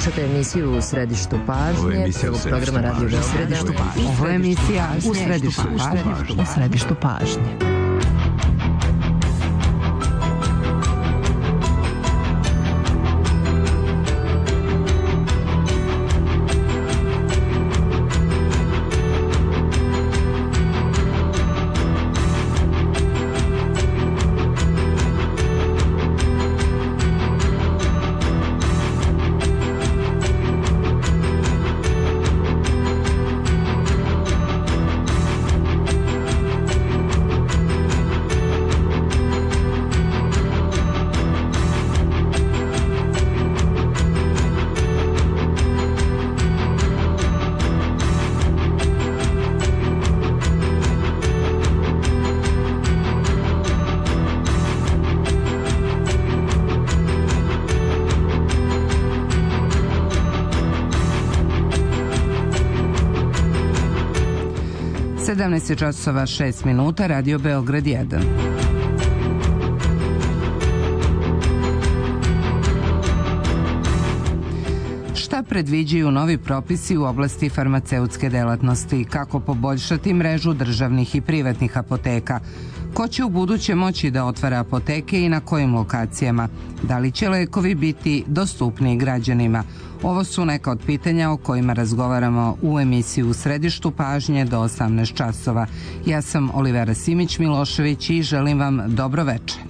Slušate emisiju U središtu pažnje, prvog programa Radio Beograda. Ovo je emisija U središtu pažnje. U središtu pažnje. Časova 6 minuta, Radio Beograd 1. Šta predviđaju novi propisi u oblasti farmaceutske delatnosti? Kako poboljšati mrežu državnih i privatnih apoteka? Ko će u buduće moći da otvara apoteke i na kojim lokacijama? Da li će lekovi biti dostupniji građanima? Ovo su neka od pitanja o kojima razgovaramo u emisiji U središtu pažnje do 18 časova. Ja sam Olivera Simić-Milošević i želim vam dobro večer.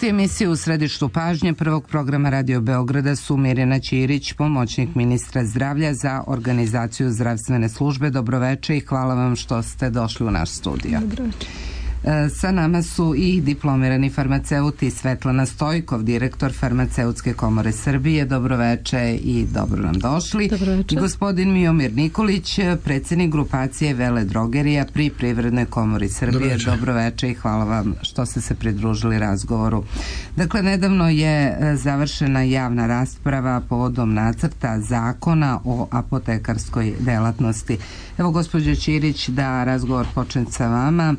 Emisiju U središtu pažnje prvog programa Radio Beograda su Mirjana Ćirić, pomoćnik ministra zdravlja za organizaciju zdravstvene službe. Dobroveče i hvala vam što ste došli u naš studio. Dobroveče. Sa nama su i diplomirani farmaceuti Svetlana Stojkov, direktor Farmaceutske komore Srbije. Dobroveče i dobro nam došli. Dobroveče. Gospodin Miomir Nikolić, predsjednik grupacije Vele drogerija pri Privrednoj komori Srbije. Dobroveče i hvala vam što ste se pridružili razgovoru. Dakle, nedavno je završena javna rasprava povodom nacrta zakona o apotekarskoj delatnosti. Evo, gospođo Ćirić, da razgovor počne sa vama.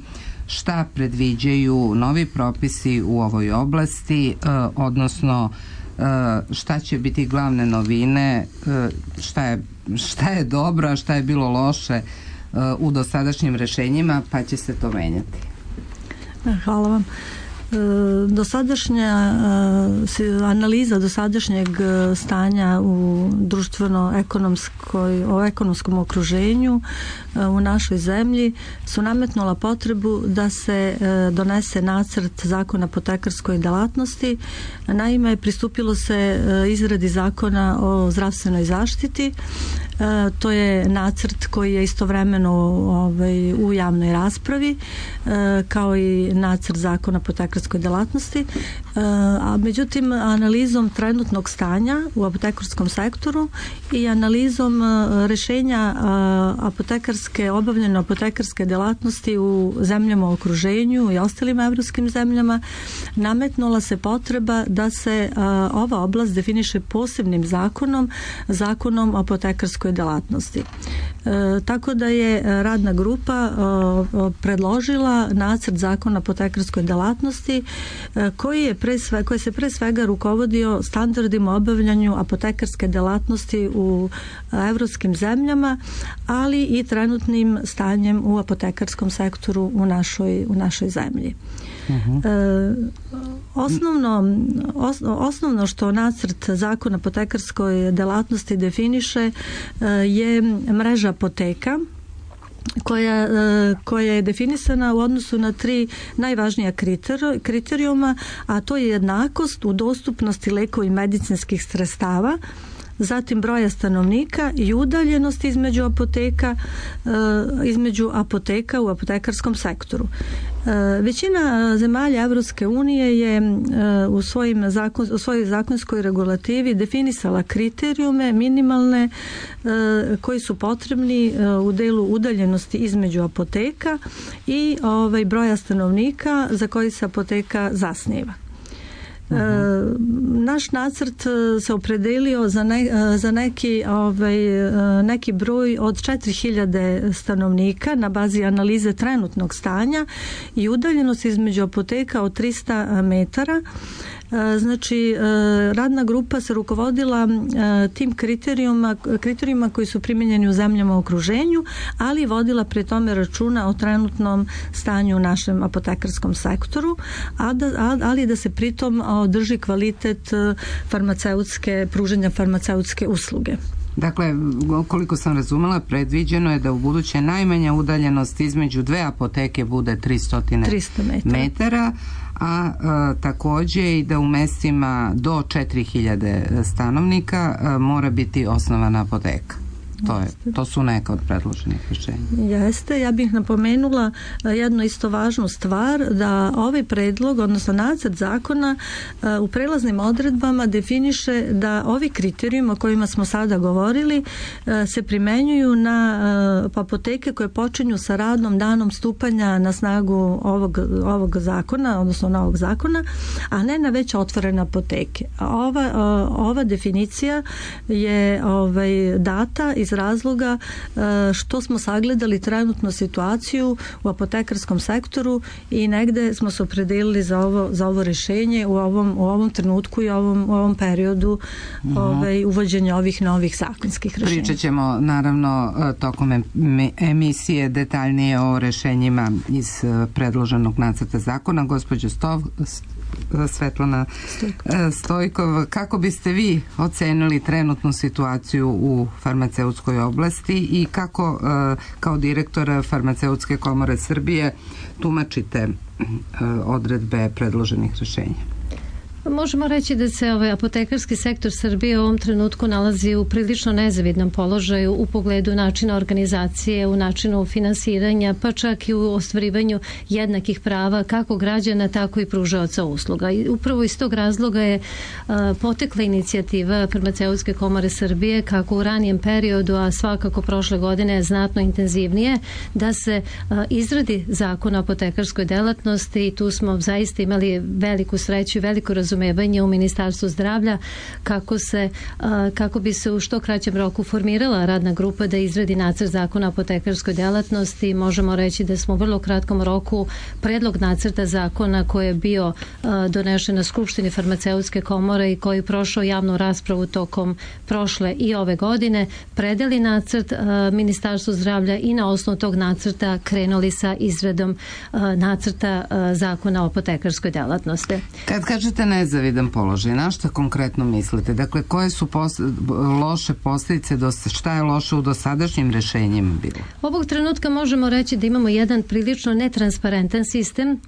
Šta predviđaju novi propisi u ovoj oblasti, odnosno šta će biti glavne novine, šta je dobro, a šta je bilo loše u dosadašnjim rešenjima, pa će se to menjati. Hvala vam. Dosadašnja analiza dosadašnjeg stanja u ekonomskom okruženju u našoj zemlji su nametnula potrebu da se donese nacrt zakona o apotekarskoj delatnosti. Naime, pristupilo se izradi zakona o zdravstvenoj zaštiti. To je nacrt koji je istovremeno u javnoj raspravi, kao i nacrt zakona o apotekarskoj delatnosti, a međutim analizom trenutnog stanja u apotekarskom sektoru i analizom rešenja obavljene apotekarske delatnosti u zemljama u okruženju i ostalim evropskim zemljama, nametnula se potreba da se ova oblast definiše posebnim zakonom o apotekarskoj delatnosti. Tako da je radna grupa predložila nacrt zakona o apotekarskoj delatnosti koji se pre svega rukovodio standardima obavljanju apotekarske delatnosti u evropskim zemljama, ali i trenutnim stanjem u apotekarskom sektoru u našoj zemlji. Osnovno što nacrt zakona o apotekarskoj delatnosti definiše je mreža apoteka koja je definisana u odnosu na 3 najvažnija kriterijuma, a to je jednakost u dostupnosti lekova i medicinskih sredstava, zatim broja stanovnika i udaljenost između apoteka u apotekarskom sektoru. Većina zemalja Evropske unije je u svojoj zakonskoj regulativi definisala kriterijume minimalne koji su potrebni u delu udaljenosti između apoteka i broja stanovnika za koji se apoteka zasniva. Naš nacrt se opredelio za neki broj od 4000 stanovnika na bazi analize trenutnog stanja i udaljenost između apoteka od 300 metara. Znači, radna grupa se rukovodila tim kriterijuma koji su primijenjeni u zemljama u okruženju, ali vodila pri tome računa o trenutnom stanju u našem apotekarskom sektoru, ali da se pritom održi kvalitet pružanja farmaceutske usluge. Dakle, koliko sam razumela, predviđeno je da u buduće najmanja udaljenost između dve apoteke bude 300 metara, a takođe i da u mestima do 4000 stanovnika mora biti osnovana apoteka. To su neka od predloženih rješenja. Jeste, ja bih napomenula jednu isto važnu stvar, da ovaj predlog, odnosno nacrt zakona u prelaznim odredbama definiše da ovi kriterijumi o kojima smo sada govorili se primenjuju na apoteke koje počinju sa radom danom stupanja na snagu ovog zakona, odnosno novog zakona, a ne na već otvorene apoteke. Ova definicija je data iz razloga što smo sagledali trenutnu situaciju u apotekarskom sektoru i negde smo se opredelili za ovo rješenje u ovom trenutku i u ovom periodu uvođenja ovih novih zakonskih rješenja. Pričat ćemo naravno tokom emisije detaljnije o rješenjima iz predloženog nacrta zakona. Gospođo Svetlana Stojkov, kako biste vi ocenili trenutnu situaciju u farmaceutskoj oblasti i kako kao direktor Farmaceutske komore Srbije tumačite odredbe predloženih rješenja? Možemo reći da se apotekarski sektor Srbije u ovom trenutku nalazi u prilično nezavidnom položaju u pogledu načina organizacije, u načinu finansiranja, pa čak i u ostvarivanju jednakih prava kako građana, tako i pružaoca usluga. I upravo iz tog razloga je potekla inicijativa Farmaceutske komore Srbije, kako u ranijem periodu, a svakako prošle godine znatno intenzivnije, da se izradi zakon o apotekarskoj delatnosti i tu smo zaista imali veliku sreću i veliko razumevanje u Ministarstvu zdravlja kako bi se u što kraćem roku formirala radna grupa da izradi nacrt zakona o apotekarskoj delatnosti. Možemo reći da smo u vrlo kratkom roku predlog nacrta zakona koji je bio donešen na Skupštini Farmaceutske komore i koji je prošao javnu raspravu tokom prošle i ove godine, predali nacrt Ministarstvu zdravlja i na osnovu tog nacrta krenuli sa izradom nacrta zakona o apotekarskoj delatnosti. Kad kažete nezavidan položaj, na šta konkretno mislite? Dakle, koje su loše posljedice, šta je loše u dosadašnjim rješenjima bilo? Ovog trenutka možemo reći da imamo jedan prilično netransparentan sistem,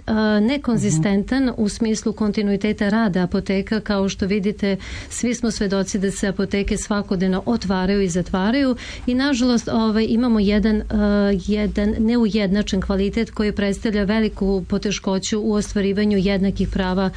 nekonzistentan u smislu kontinuiteta rada apoteka. Kao što vidite, svi smo svedoci da se apoteke svakodnevno otvaraju i zatvaraju i nažalost imamo jedan neujednačen kvalitet koji predstavlja veliku poteškoću u ostvarivanju jednakih prava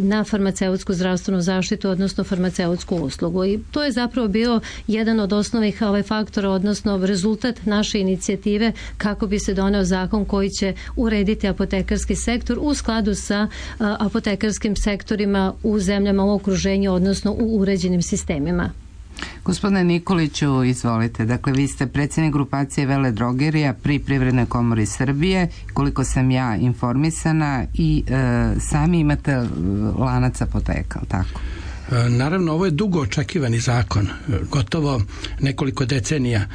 na farmaceutsku zdravstvenu zaštitu, odnosno farmaceutsku uslugu. I to je zapravo bio jedan od osnovnih faktora, odnosno rezultat naše inicijative kako bi se doneo zakon koji će urediti apotekarski sektor u skladu sa apotekarskim sektorima u zemljama u okruženju, odnosno u uređenim sistemima. Gospodine Nikoliću, izvolite. Dakle, vi ste predsjednik grupacije veledrogerija pri Privrednoj komori Srbije, koliko sam ja informisana, i sami imate lanac apoteka, tako? Naravno, ovo je dugo očekivani zakon, gotovo nekoliko decenija.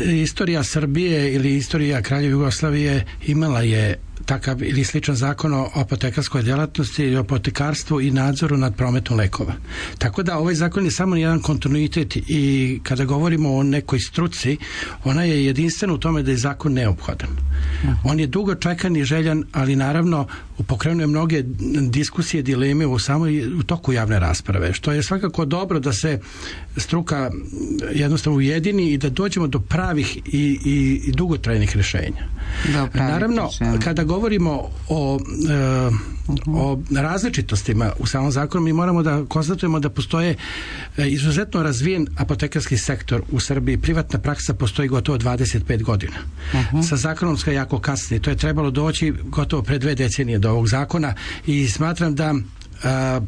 Istorija Srbije ili istorija Kraljevine Jugoslavije imala je takav ili sličan zakon o apotekarskoj djelatnosti i apotekarstvu i nadzoru nad prometom lekova. Tako da ovaj zakon je samo jedan kontinuitet i kada govorimo o nekoj struci, ona je jedinstvena u tome da je zakon neophodan. On je dugo čekan i željan, ali naravno pokrenuje mnoge diskusije, dileme u toku javne rasprave, što je svakako dobro da se struka jednostavno ujedini i da dođemo do pravih i dugotrajnih rješenja. Naravno, kada govorimo o različitostima u samom zakonu, mi moramo da konstatujemo da postoje izuzetno razvijen apotekarski sektor u Srbiji. Privatna praksa postoji gotovo 25 godina. Sa zakonom ska jako kasni. To je trebalo doći gotovo pre 2 decenije do ovog zakona i smatram da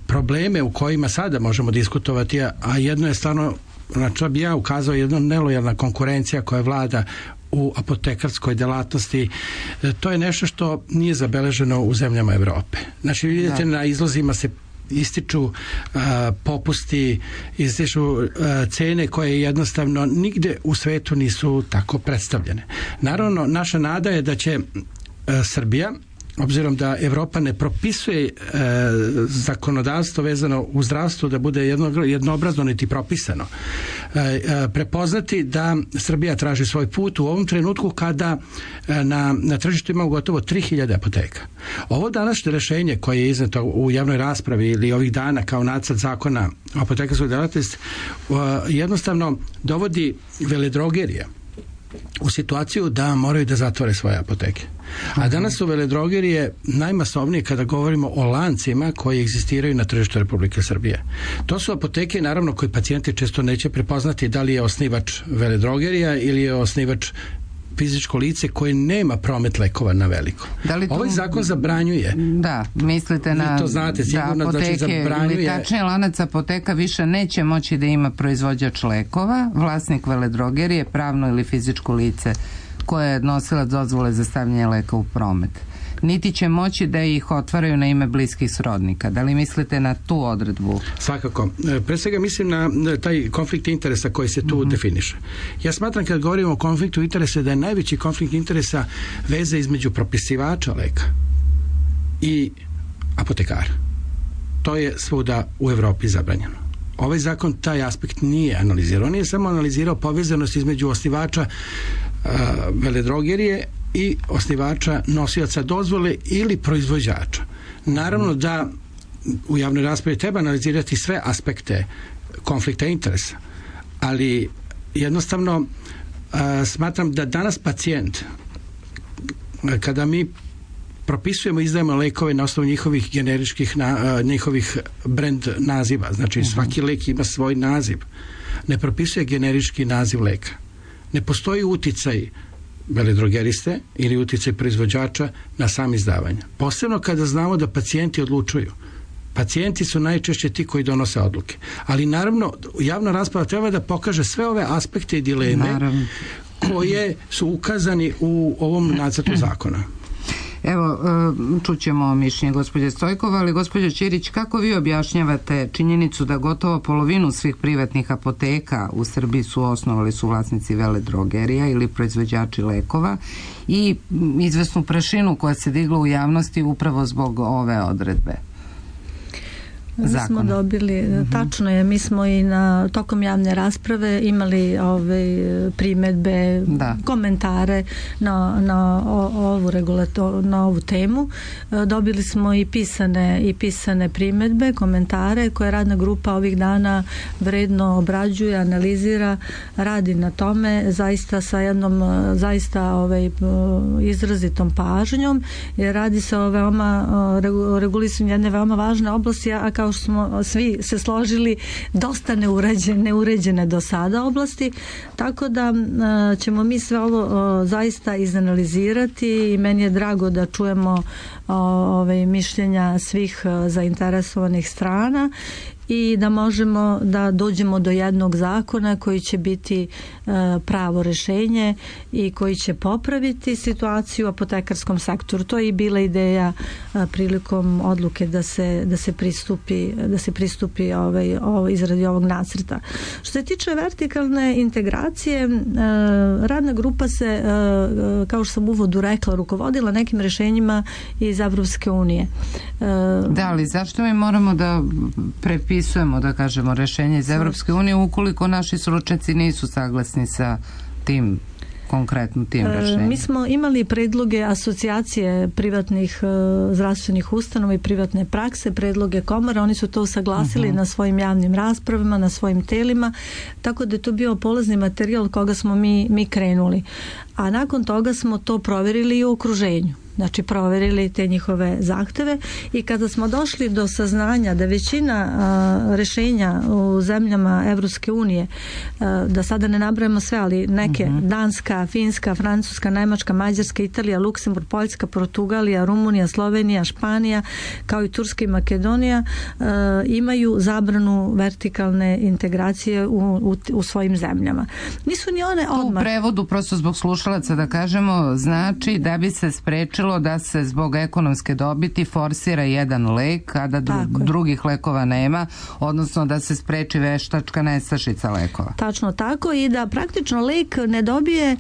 probleme u kojima sada možemo diskutovati, a jedno je stvarno, na što bi ja ukazao, jedna nelojalna konkurencija koja vlada u apotekarskoj delatnosti, to je nešto što nije zabeleženo u zemljama Evrope. Znači, vidite, na izlozima se ističu popusti, ističu cene koje jednostavno nigde u svetu nisu tako predstavljene. Naravno, naša nada je da će Srbija, obzirom da Evropa ne propisuje zakonodavstvo vezano u zdravstvu da bude jednoobrazno niti propisano, prepoznati da Srbija traži svoj put u ovom trenutku kada na tržištu ima gotovo 3000 apoteka. Ovo današnje rješenje koje je izneto u javnoj raspravi ili ovih dana kao nacrt zakona o apotekarskoj delatnosti jednostavno dovodi veledrogerije u situaciju da moraju da zatvore svoje apoteke. A danas su veledrogerije najmasovnije kada govorimo o lancima koji egzistiraju na tržištu Republike Srbije. To su apoteke, naravno, koji pacijenti često neće prepoznati da li je osnivač veledrogerija ili je osnivač fizičko lice koje nema promet lekova na veliko. Ovaj zakon zabranjuje. Da, mislite na to znate, sigurno, da apoteke, znači zabranjuje. Ili tačnije, lanac apoteka više neće moći da ima proizvođač lekova, vlasnik veledrogerije, pravno ili fizičko lice koje je nosilac dozvole za stavljanje leka u promet. Niti će moći da ih otvaraju na ime bliskih srodnika. Da li mislite na tu odredbu? Svakako. Pre svega mislim na taj konflikt interesa koji se tu definiše. Ja smatram, kad govorimo o konfliktu interesa, da je najveći konflikt interesa veza između propisivača leka i apotekara. To je svuda u Evropi zabranjeno. Ovaj zakon taj aspekt nije analizirao. On je samo analizirao povezanost između osnivača veledrogerije i osnivača nosioca dozvole ili proizvođača. Naravno da u javnoj raspravi treba analizirati sve aspekte konflikta interesa, ali jednostavno smatram da danas pacijent, kada mi propisujemo i izdajemo lekove na osnovu njihovih generičkih njihovih brand naziva, znači svaki lek ima svoj naziv, ne propisuje generički naziv leka. Ne postoji uticaj veledrogeriste ili uticaj proizvođača na sam izdavanje. Posebno kada znamo da pacijenti odlučuju. Pacijenti su najčešće ti koji donose odluke. Ali naravno, javna rasprava treba da pokaže sve ove aspekte i dileme koje su ukazani u ovom nacrtu zakona. Evo, čućemo mišljenje gospođe Stojkova, ali gospođo Ćirić, kako vi objašnjavate činjenicu da gotovo polovinu svih privatnih apoteka u Srbiji osnovali su vlasnici veledrogerija ili proizvođači lekova i izvesnu prašinu koja se digla u javnosti upravo zbog ove odredbe? Mi smo dobili, tačno je, mi smo i tokom javne rasprave imali primedbe, komentare na ovu temu. Dobili smo i pisane primedbe, komentare koje radna grupa ovih dana vredno obrađuje, analizira, radi na tome zaista sa jednom izrazitom pažnjom, jer radi se o regulisanju jedne veoma važne oblasti, a kao što smo svi se složili, dosta neuređene do sada oblasti, tako da ćemo mi sve ovo zaista izanalizirati i meni je drago da čujemo mišljenja svih zainteresovanih strana i da možemo da dođemo do jednog zakona koji će biti pravo rješenje i koji će popraviti situaciju u apotekarskom sektoru. To je i bila ideja prilikom odluke da se pristupi izradi ovog nacrta. Što se tiče vertikalne integracije, radna grupa se, kao što sam u uvodu rekla, rukovodila nekim rješenjima iz Evropske unije. Da, ali zašto mi moramo da prepisujemo, da kažemo, rješenje iz Evropske unije ukoliko naši stručnjaci nisu saglasni sa tim konkretno tim rešenjem? Mi smo imali predloge asocijacije privatnih zdravstvenih ustanova i privatne prakse, predloge komora, oni su to usaglasili na svojim javnim raspravama, na svojim telima, tako da je to bio polazni materijal od koga smo mi krenuli. A nakon toga smo to provjerili i u okruženju. Znači provjerili te njihove zahteve i kada smo došli do saznanja da većina rešenja u zemljama Evropske unije, da sada ne nabrajamo sve, ali neke, Danska, Finska, Francuska, Nemačka, Mađarska, Italija, Luksemburg, Poljska, Portugalija, Rumunija, Slovenija, Španija, kao i Turska i Makedonija, imaju zabranu vertikalne integracije u svojim zemljama. Nisu ni one odmah. U prevodu, prosto zbog slušalaca da kažemo, znači da bi se sprečilo da se zbog ekonomske dobiti forsira jedan lek, a da drugih lekova nema, odnosno da se spreči veštačka nestašica lekova. Tačno tako, i da praktično lek ne dobije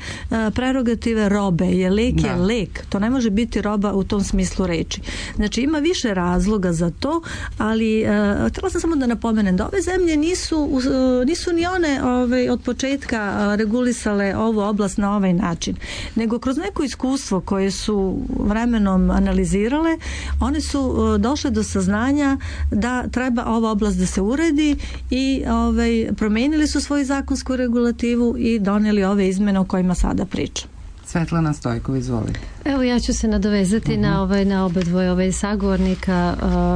prerogative robe, jer lek je lek. To ne može biti roba u tom smislu reči. Znači ima više razloga za to, ali htjela sam samo da napomenem da ove zemlje nisu ni one od početka regulisale ovu oblast na ovaj način, nego kroz neko iskustvo koje su vremenom analizirale, one su došle do saznanja da treba ova oblast da se uredi i promenili su svoju zakonsku regulativu i donijeli ove izmene o kojima sada pričam. Svetlana Stojkov, izvoli. Evo, ja ću se nadovezati na oba dvoje sagovornika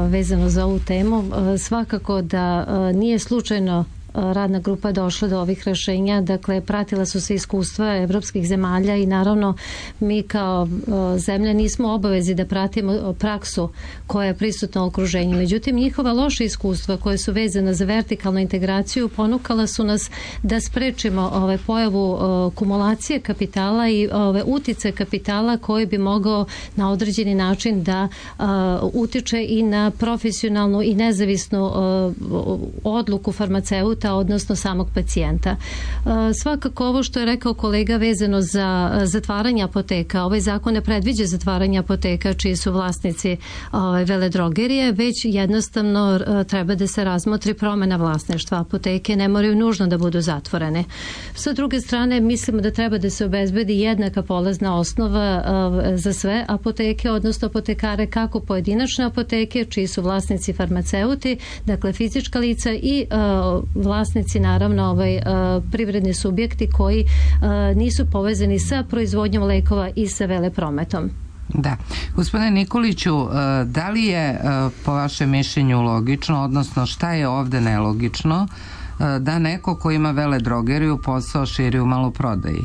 vezano za ovu temu. Svakako da nije slučajno radna grupa došla do ovih rešenja, dakle pratila su se iskustva evropskih zemalja i naravno mi kao zemlja nismo obavezi da pratimo praksu koja je prisutna u okruženju. Međutim, njihova loša iskustva koje su vezana za vertikalnu integraciju ponukala su nas da sprečimo pojavu kumulacije kapitala i utice kapitala koji bi mogao na određeni način da utiče i na profesionalnu i nezavisnu odluku farmaceuta, odnosno samog pacijenta. Svakako ovo što je rekao kolega vezano za zatvaranje apoteka, ovaj zakon ne predviđa zatvaranje apoteka čiji su vlasnici veledrogerije, već jednostavno treba da se razmotri promena vlasništva. Apoteke ne moraju nužno da budu zatvorene. Sa druge strane, mislimo da treba da se obezbedi jednaka polazna osnova za sve apoteke, odnosno apotekare, kako pojedinačne apoteke čiji su vlasnici farmaceuti, dakle fizička lica, i vlasnici naravno privredni subjekti koji nisu povezani sa proizvodnjom lekova i sa veleprometom. Da. Gospodine Nikoliću, da li je po vašem mišljenju logično, odnosno šta je ovde nelogično, da neko ko ima veledrogeriju posao širi u maloprodaji?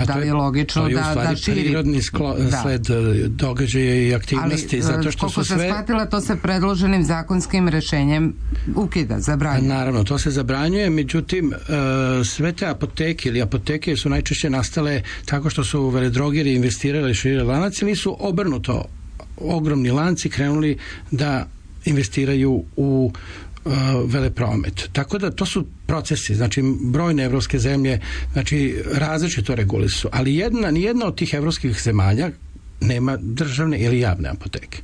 Da li je logično da širi? Prirodni sled događaja i aktivnosti, zato što su sve... Koliko se shvatila, to se predloženim zakonskim rešenjem ukida, zabranjuje. Naravno, to se zabranjuje, međutim sve te apoteke ili apoteke su najčešće nastale tako što su veledrogeri investirali širili lanac ili su obrnuto ogromni lanci krenuli da investiraju u velepromet. Tako da to su procesi, znači brojne evropske zemlje, znači različito regulisu, ali nijedna od tih evropskih zemalja nema državne ili javne apoteke.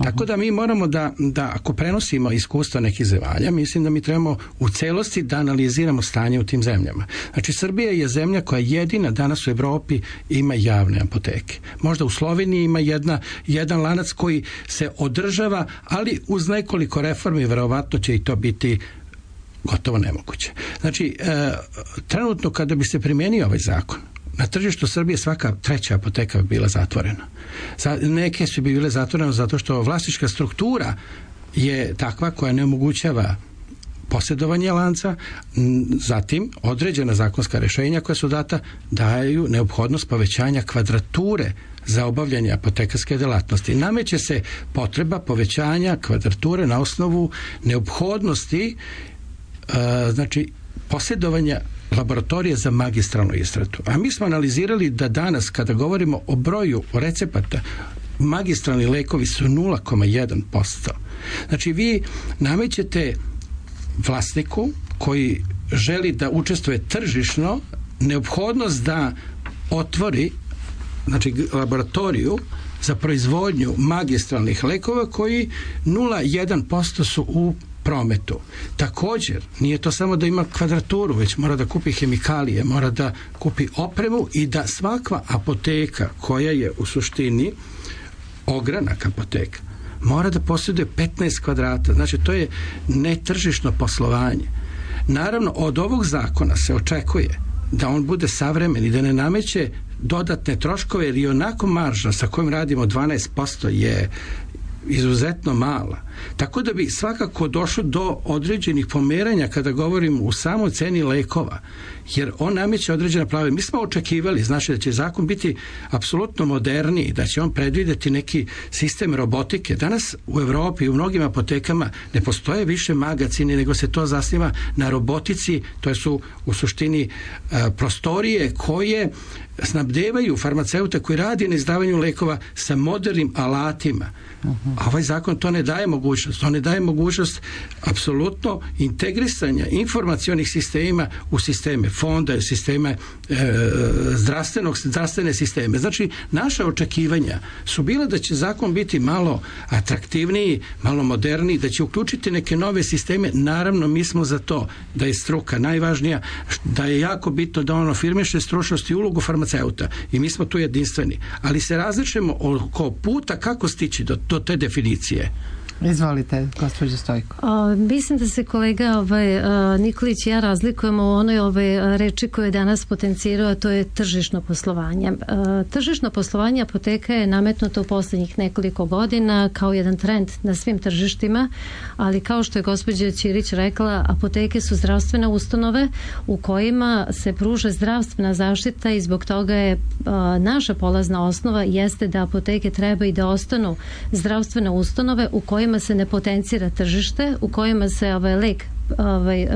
Tako da mi moramo da ako prenosimo iskustva nekih zemalja, mislim da mi trebamo u celosti da analiziramo stanje u tim zemljama. Znači Srbija je zemlja koja jedina danas u Evropi ima javne apoteke. Možda u Sloveniji ima jedan lanac koji se održava, ali uz nekoliko reformi verovatno će i to biti gotovo nemoguće. Znači, trenutno kada bi se primenio ovaj zakon, na tržištu Srbije svaka treća apoteka bi bila zatvorena. Neke su bi bile zatvorene zato što vlasnička struktura je takva koja ne omogućava posjedovanje lanca, zatim određena zakonska rešenja koja su data daju neophodnost povećanja kvadrature za obavljanje apotekarske delatnosti. Nameće se potreba povećanja kvadrature na osnovu neophodnosti znači posjedovanja laboratorije za magistralnu istratu. A mi smo analizirali da danas kada govorimo o broju recepata, magistralni lekovi su 0,1%. Znači vi namećete vlasniku koji želi da učestvuje tržišno neophodnost da otvori znači laboratoriju za proizvodnju magistralnih lekova koji 0,1% su u prometu. Također, nije to samo da ima kvadraturu, već mora da kupi hemikalije, mora da kupi opremu i da svaka apoteka koja je u suštini ogranak apoteka mora da posjeduje 15 kvadrata. Znači, to je netržišno poslovanje. Naravno, od ovog zakona se očekuje da on bude savremen i da ne nameće dodatne troškove, jer i onako marža sa kojom radimo 12% je izuzetno mala. Tako da bi svakako došlo do određenih pomeranja kada govorimo u samoj ceni lekova, jer on nameće određena pravila. Mi smo očekivali, znači, da će zakon biti apsolutno moderniji, da će on predvideti neki sistem robotike. Danas u Evropi i u mnogim apotekama ne postoje više magacini, nego se to zasniva na robotici. To su u suštini prostorije koje snabdevaju farmaceute koji radi na izdavanju lekova sa modernim alatima. A ovaj zakon to ne daje mogućnost. To ne daje mogućnost apsolutno integrisanja informacionih sistema u sisteme fonda, sisteme zdravstvene sisteme. Znači, naša očekivanja su bila da će zakon biti malo atraktivniji, malo moderniji, da će uključiti neke nove sisteme. Naravno, mi smo za to da je struka najvažnija, da je jako bitno da on afirmiše stručnost i ulogu farmaceuta i mi smo tu jedinstveni. Ali se različujemo oko puta kako stići do te definicije. Izvolite, gospođo Stojko. Mislim da se kolega Nikolić i ja razlikujemo u onoj reči koju je danas potencirao, a to je tržišno poslovanje. Tržišno poslovanje apoteka je nametnuto u posljednjih nekoliko godina kao jedan trend na svim tržištima, ali kao što je gospođa Ćirić rekla, apoteke su zdravstvene ustanove u kojima se pruža zdravstvena zaštita i zbog toga je naša polazna osnova jeste da apoteke treba i da ostanu zdravstvene ustanove u kojima se ne potencira tržište, u kojima se lek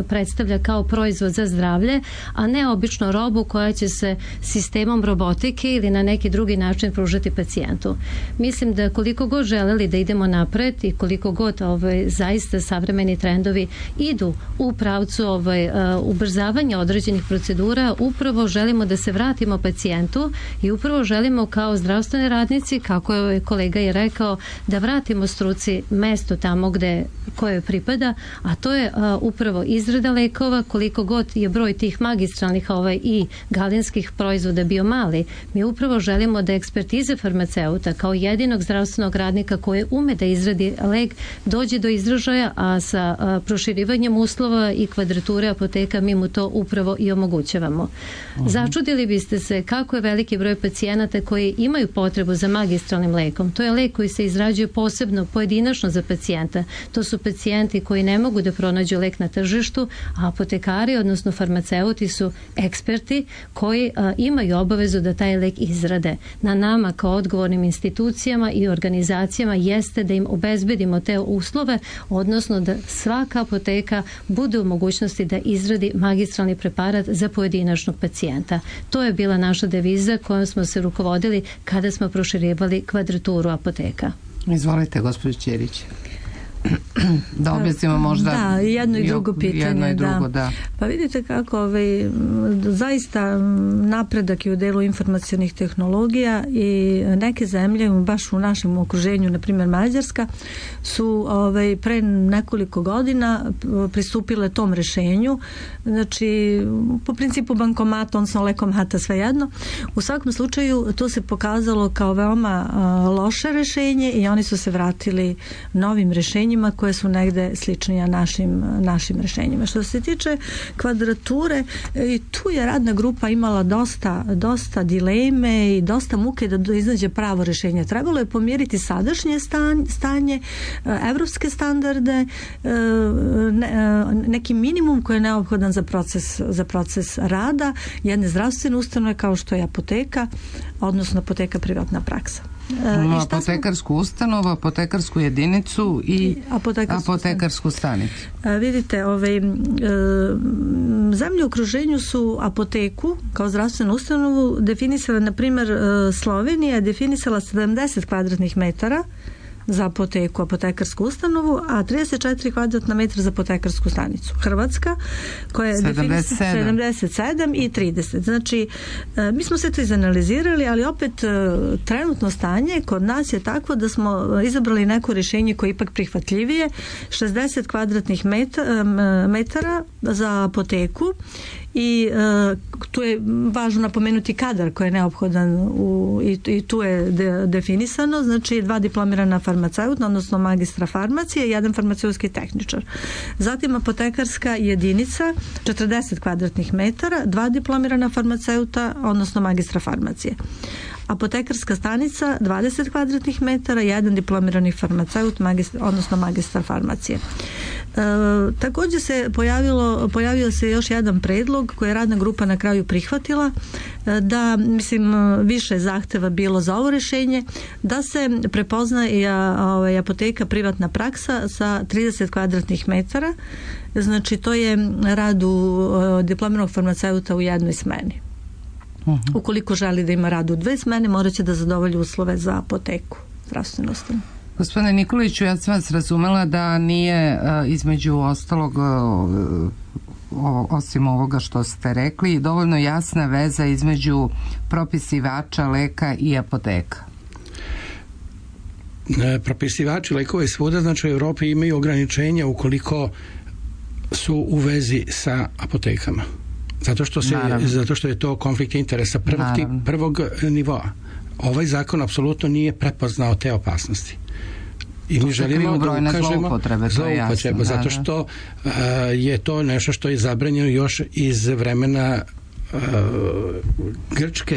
predstavlja kao proizvod za zdravlje, a ne obično robu koja će se sistemom robotike ili na neki drugi način pružati pacijentu. Mislim da koliko god želeli da idemo napred i koliko god zaista savremeni trendovi idu u pravcu ubrzavanja određenih procedura, upravo želimo da se vratimo pacijentu i upravo želimo kao zdravstveni radnici, kako je kolega i rekao, da vratimo struci mesto tamo koje pripada, a to je upravo izrada lekova. Koliko god je broj tih magistralnih i galenskih proizvoda bio mali, mi upravo želimo da ekspertize farmaceuta kao jedinog zdravstvenog radnika koji ume da izradi lek dođe do izražaja, a sa proširivanjem uslova i kvadrature apoteka mi mu to upravo i omogućavamo. Začudili biste se kako je veliki broj pacijenata koji imaju potrebu za magistralnim lekom. To je lek koji se izrađuje posebno, pojedinačno za pacijenta. To su pacijenti koji ne mogu da pronađu lek na tržištu, a apotekari, odnosno farmaceuti, su eksperti koji imaju obavezu da taj lek izrade. Na nama kao odgovornim institucijama i organizacijama jeste da im obezbedimo te uslove, odnosno da svaka apoteka bude u mogućnosti da izradi magistralni preparat za pojedinačnog pacijenta. To je bila naša deviza kojom smo se rukovodili kada smo proširivali kvadraturu apoteka. Izvolite, gospođo Ćirić. Da objasnimo možda jedno i drugo pitanje. Da. Pa vidite kako zaista napredak je u delu informacionih tehnologija i neke zemlje baš u našem okruženju, na primjer Mađarska, su pre nekoliko godina pristupile tom rešenju. Znači, po principu bankomata, odnosno lekomata, svejedno. U svakom slučaju to se pokazalo kao veoma loše rešenje i oni su se vratili novim rešenjima koje su negde sličnija našim rešenjima. Što se tiče kvadrature, i tu je radna grupa imala dosta dileme i dosta muke da iznađe pravo rešenje. Trebalo je pomjeriti sadašnje stanje, evropske standarde, neki minimum koji je neophodan za proces rada jedne zdravstvene ustanove kao što je apoteka, odnosno apoteka privatna praksa. Apotekarsku ustanovu, apotekarsku jedinicu i apotekarsku stanicu. Vidite, zemlje u okruženju su apoteku kao zdravstvenu ustanovu definisala, na primjer Slovenija je definisala 70 kvadratnih metara za apoteku, apotekarsku ustanovu, a 34 kvadratna metra za apotekarsku stanicu. Hrvatska koja je 77 i 30. Znači, mi smo se to izanalizirali, ali opet trenutno stanje kod nas je takvo da smo izabrali neko rješenje koje je ipak prihvatljivije, 60 kvadratnih metara za apoteku i tu je važno napomenuti kadar koji je neophodan i tu je definisano, znači 2 diplomirana farmaceuta, odnosno magistra farmacije i 1 farmaceutski tehničar. Zatim apotekarska jedinica 40 kvadratnih metara, 2 diplomirana farmaceuta, odnosno magistra farmacije. Apotekarska stanica 20 kvadratnih metara, 1 diplomirani farmaceut, odnosno magistar farmacije. Također se pojavio se još jedan predlog koji je radna grupa na kraju prihvatila, da više zahteva bilo za ovo rješenje, da se prepozna i apoteka privatna praksa sa 30 kvadratnih metara, znači to je rad diplomiranog farmaceuta u jednoj smeni. Ukoliko želi da ima rad u 2 smene, morat će da zadovolji uslove za apoteku, zdravstvenu ustanovu. Gospodine Nikoliću, ja sam vas razumela da nije između ostalog, osim ovoga što ste rekli, dovoljno jasna veza između propisivača leka i apoteka. Propisivači lekova i svuda, znači u Europi imaju ograničenja ukoliko su u vezi sa apotekama. Zato što je to konflikt interesa prvog nivoa. Ovaj zakon apsolutno nije prepoznao te opasnosti. I mi želimo da ukažemo zloupotrebe, zato što je to nešto što je zabranjeno još iz vremena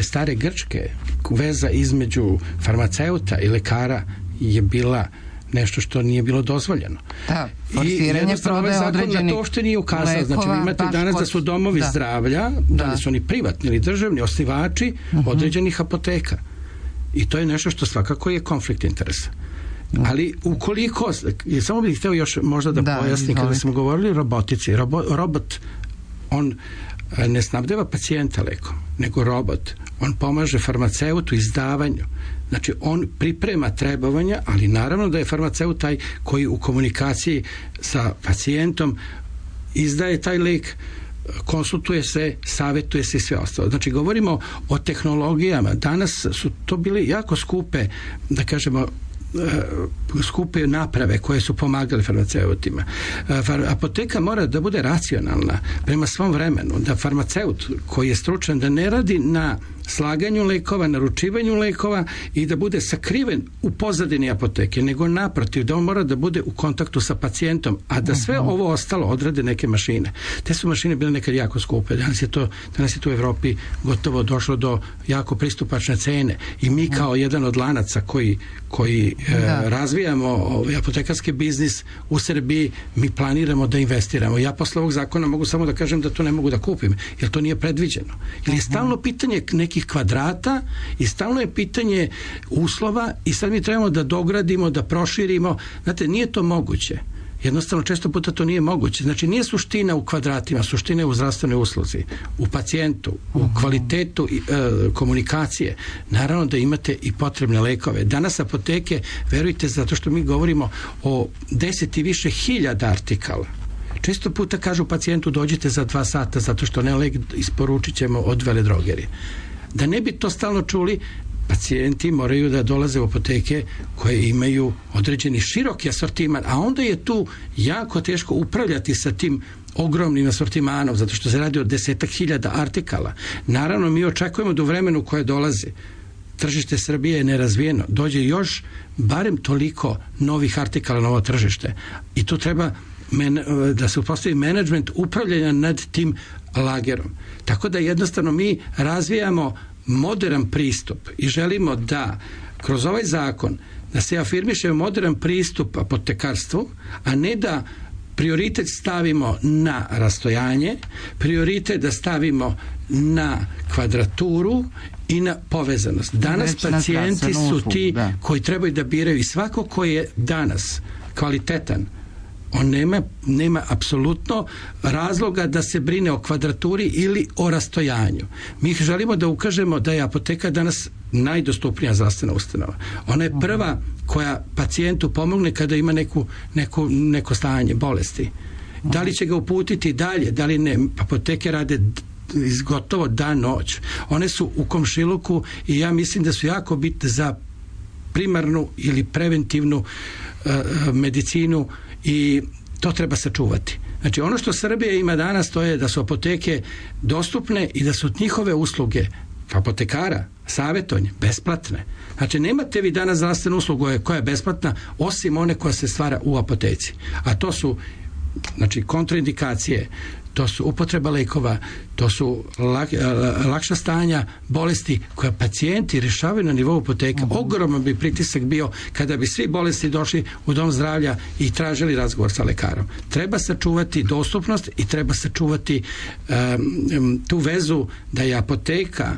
stare Grčke. Veza između farmaceuta i lekara je bila nešto što nije bilo dozvoljeno. Da, forsiranje prodaje određenih to uopšte nije ukazano. Znači, vi imate danas da su domovi zdravlja, da li su oni privatni ili državni, osnivači određenih apoteka. I to je nešto što svakako je konflikt interesa. Ali ukoliko, samo bih htio još možda da pojasnim, kada smo govorili o robotici, robot, on ne snabdeva pacijenta lekom, nego robot. On pomaže farmaceutu izdavanju. Znači, on priprema trebovanja, ali naravno da je farmaceut taj koji u komunikaciji sa pacijentom izdaje taj lek, konsultuje se, savjetuje se i sve ostalo. Znači, govorimo o tehnologijama. Danas su to bile jako skupe, da kažemo, skupe naprave koje su pomagale farmaceutima. Apoteka mora da bude racionalna prema svom vremenu, da farmaceut koji je stručan da ne radi na slaganju lekova, naručivanju lekova i da bude sakriven u pozadini apoteke, nego naprotiv, da on mora da bude u kontaktu sa pacijentom, a da sve ovo ostalo odrade neke mašine. Te su mašine bile nekad jako skupe. Danas je to u Evropi gotovo došlo do jako pristupačne cene i mi kao jedan od lanaca koji razvijamo apotekarski biznis u Srbiji, mi planiramo da investiramo. Ja posle ovog zakona mogu samo da kažem da to ne mogu da kupim, jer to nije predviđeno. Jer je stalno pitanje nekih kvadrata i stalno je pitanje uslova i sad mi trebamo da dogradimo, da proširimo. Znate, nije to moguće. Jednostavno, često puta to nije moguće. Znači, nije suština u kvadratima, suština je u zdravstvenoj usluzi, u pacijentu, u kvalitetu komunikacije. Naravno da imate i potrebne lekove. Danas apoteke, verujte, zato što mi govorimo o 10 i više hiljada artikala. Često puta kažu pacijentu dođite za 2 sata zato što ne lek isporučit ćemo od veledrogerije. Da ne bi to stalno čuli, pacijenti moraju da dolaze u apoteke koje imaju određeni široki asortiman, a onda je tu jako teško upravljati sa tim ogromnim asortimanom, zato što se radi o 10.000 artikala. Naravno, mi očekujemo da u vremenu koje dolazi tržište Srbije je nerazvijeno, dođe još barem toliko novih artikala na ovo tržište i tu treba da se uspostavi menadžment upravljanja nad tim lagerom. Tako da jednostavno mi razvijamo modern pristup i želimo da kroz ovaj zakon da se afirmiše modern pristup apotekarstvu, a ne da prioritet stavimo na rastojanje, prioritet da stavimo na kvadraturu i na povezanost. Danas pacijenti su ti koji trebaju da biraju i svako ko je danas kvalitetan On nema apsolutno razloga da se brine o kvadraturi ili o rastojanju. Mi želimo da ukažemo da je apoteka danas najdostupnija zdravstvena ustanova. Ona je prva koja pacijentu pomogne kada ima neko stanje, bolesti. Da li će ga uputiti dalje, da li ne. Apoteke rade gotovo dan noć. One su u komšiluku i ja mislim da su jako bitne za primarnu ili preventivnu medicinu i to treba sačuvati. Znači ono što Srbija ima danas to je da su apoteke dostupne i da su njihove usluge apotekara, savjetovanje, besplatne. Znači nemate vi danas zdravstvenu uslugu koja je besplatna osim one koja se stvara u apoteci. A to su znači kontraindikacije, to su upotreba lekova, to su lakša stanja bolesti koja pacijenti rješavaju na nivou apoteka. Ogroman bi pritisak bio kada bi svi bolesti došli u dom zdravlja i tražili razgovor sa lekarom. Treba sačuvati dostupnost i treba sačuvati tu vezu da je apoteka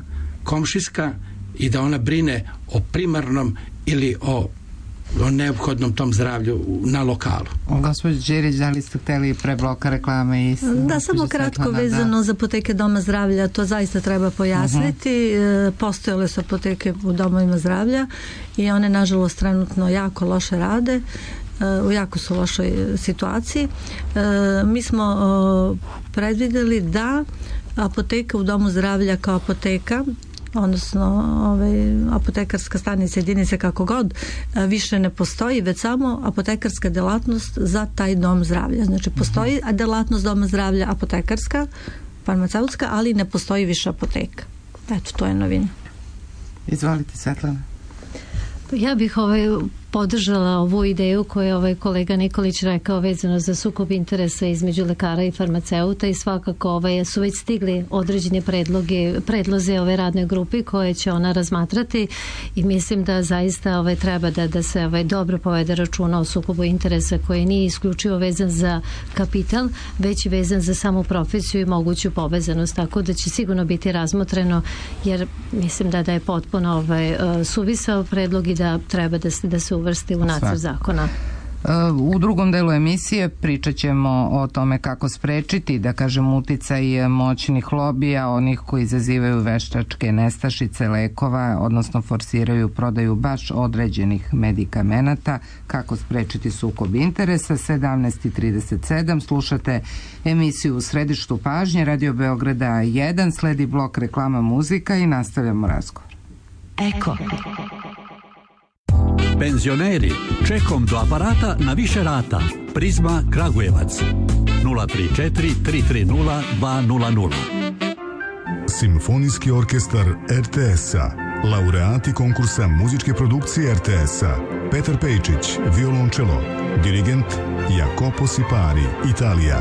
komšijska i da ona brine o primarnom ili o neophodnom tom zdravlju na lokalu. Gospođo Đerić, da li ste hteli pre bloka reklame i... Da, samo kratko vezano za apoteke doma zdravlja, to zaista treba pojasniti. Postojale su apoteke u domovima zdravlja i one nažalost trenutno jako loše rade, u jako su lošoj situaciji. Mi smo predvideli da apoteka u domu zdravlja kao apoteka, odnosno apotekarska stanica, jedinice kako god, više ne postoji, već samo apotekarska delatnost za taj dom zdravlja. Znači postoji delatnost doma zdravlja apotekarska, farmaceutska, ali ne postoji više apoteka. Eto, to je novina. Izvolite, Svetlana. Ja bih podržala ovu ideju koju je kolega Nikolić rekao vezano za sukob interesa između lekara i farmaceuta i svakako su već stigli određeni predloze ove radne grupe koje će ona razmatrati i mislim da zaista treba da se dobro povede računa o sukobu interesa koji nije isključivo vezan za kapital, već i vezan za samu profesiju i moguću povezanost, tako da će sigurno biti razmotreno jer mislim da je potpuno suvisao predlog i da treba da se uvrsti u nacrt zakona. U drugom delu emisije pričat ćemo o tome kako sprečiti, da kažem, uticaj moćnih lobija, onih koji izazivaju veštačke nestašice lekova, odnosno forsiraju prodaju baš određenih medikamenata, kako sprečiti sukob interesa. 17:37 slušate emisiju U središtu pažnje Radio Beograda 1, sledi blok reklama, muzika i nastavljamo razgovor. Eko. Penzioneri, čekom do aparata na više rata. Prizma Kragujevac 034 330 200. Simfonijski orkestar RTS-a, laureati konkursa muzičke produkcije RTS-a, Petar Pejčić, violončelo, dirigent Jacopo Sipari, Italija.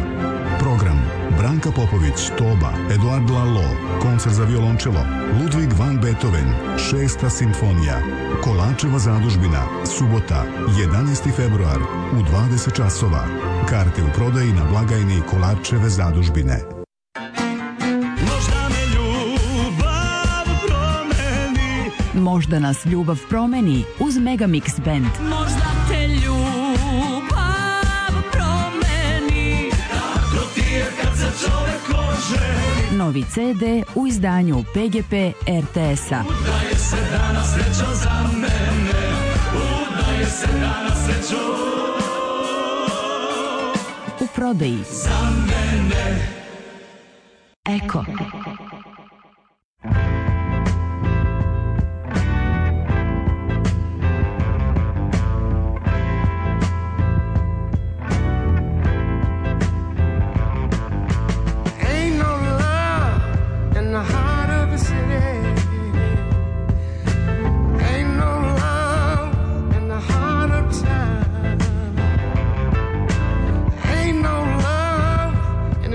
Program: Branka Popović, toba, Eduard Lalo, koncert za violončelo, Ludwig van Beethoven, 6. simfonija, Kolačeva zadužbina, subota, 11. februar, u 20 časova. Karte u prodaji na blagajni Kolačeve zadužbine. Možda nas ljubav promeni uz Megamix Band. Možda te ljubav promeni. Tako ti je kad se čovek oženi. Novi CD u izdanju PGP RTS-a. Udaje se danas srećo za mene. Udaje se danas srećo u prodaji za mene. Eko.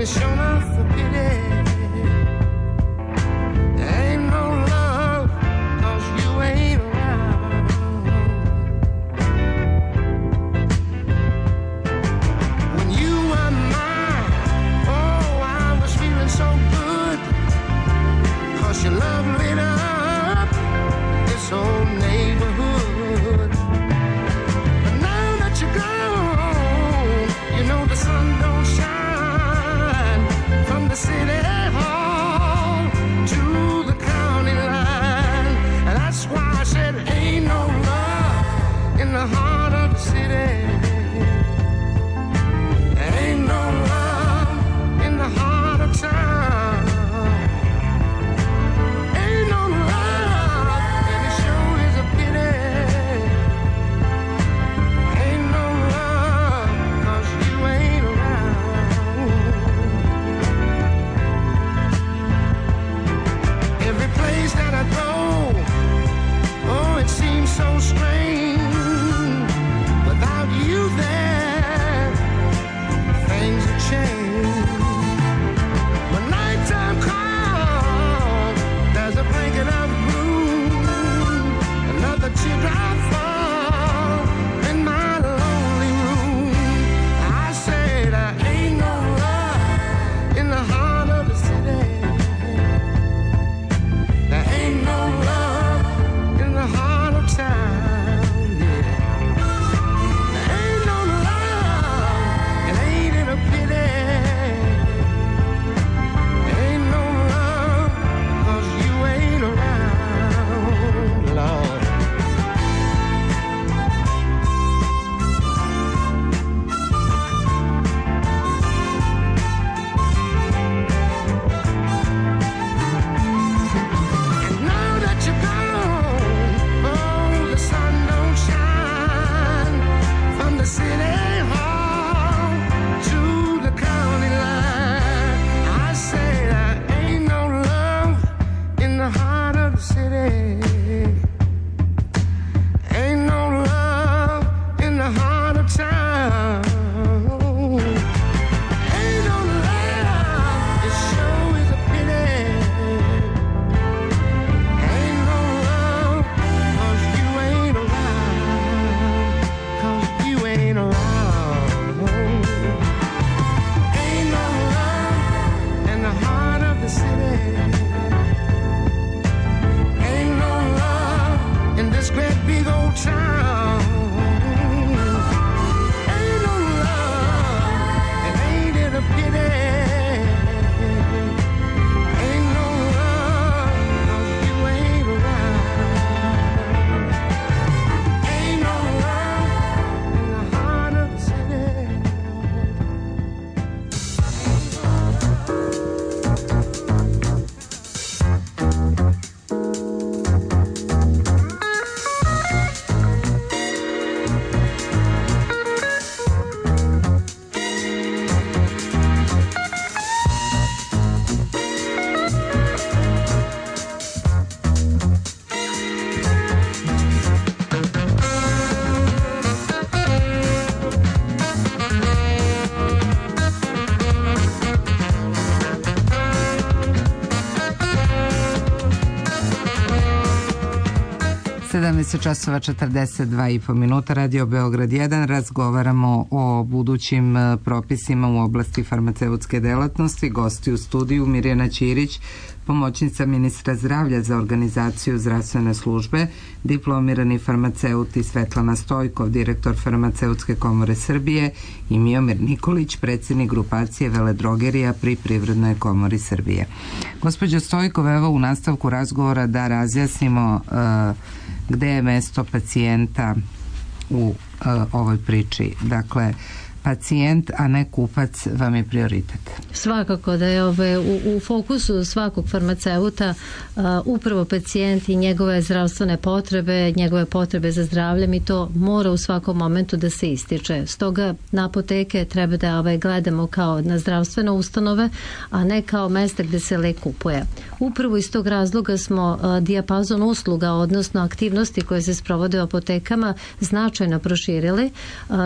It's shown off for pity. časova 42,5 minuta, Radio Beograd 1. Razgovaramo o budućim propisima u oblasti farmaceutske delatnosti. Gosti u studiju Mirjana Ćirić, pomoćnica ministra zdravlja za organizaciju zdravstvene službe, diplomirani farmaceut i Svetlana Stojkov, direktor Farmaceutske komore Srbije, i Miomir Nikolić, predsjednik grupacije veledrogerija pri Privrednoj komori Srbije. Gospođo Stojkov, evo u nastavku razgovora da razjasnimo gde je mesto pacijenta u ovoj priči. Dakle, pacijent, a ne kupac vam je prioritet. Svakako da je u fokusu svakog farmaceuta upravo pacijent i njegove zdravstvene potrebe, njegove potrebe za zdravljem, i to mora u svakom momentu da se ističe. Stoga na apoteke treba da gledamo kao na zdravstvene ustanove, a ne kao mesta gde se lek kupuje. Upravo iz tog razloga smo dijapazon usluga, odnosno aktivnosti koje se sprovode u apotekama, značajno proširili,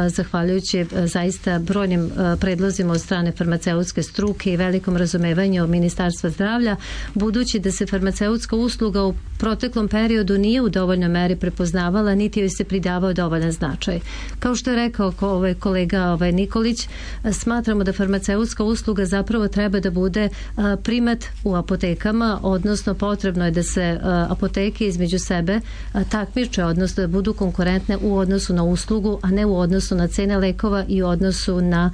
zahvaljujući zaista brojnim predlozima od strane farmaceutske struke i velikom razumevanju Ministarstva zdravlja, budući da se farmaceutska usluga u proteklom periodu nije u dovoljnoj meri prepoznavala, niti joj se pridavao dovoljan značaj. Kao što je rekao kolega Nikolić, smatramo da farmaceutska usluga zapravo treba da bude primat u apotekama, odnosno potrebno je da se apoteke između sebe takmiče, odnosno da budu konkurentne u odnosu na uslugu, a ne u odnosu na cene lekova i u odnosu na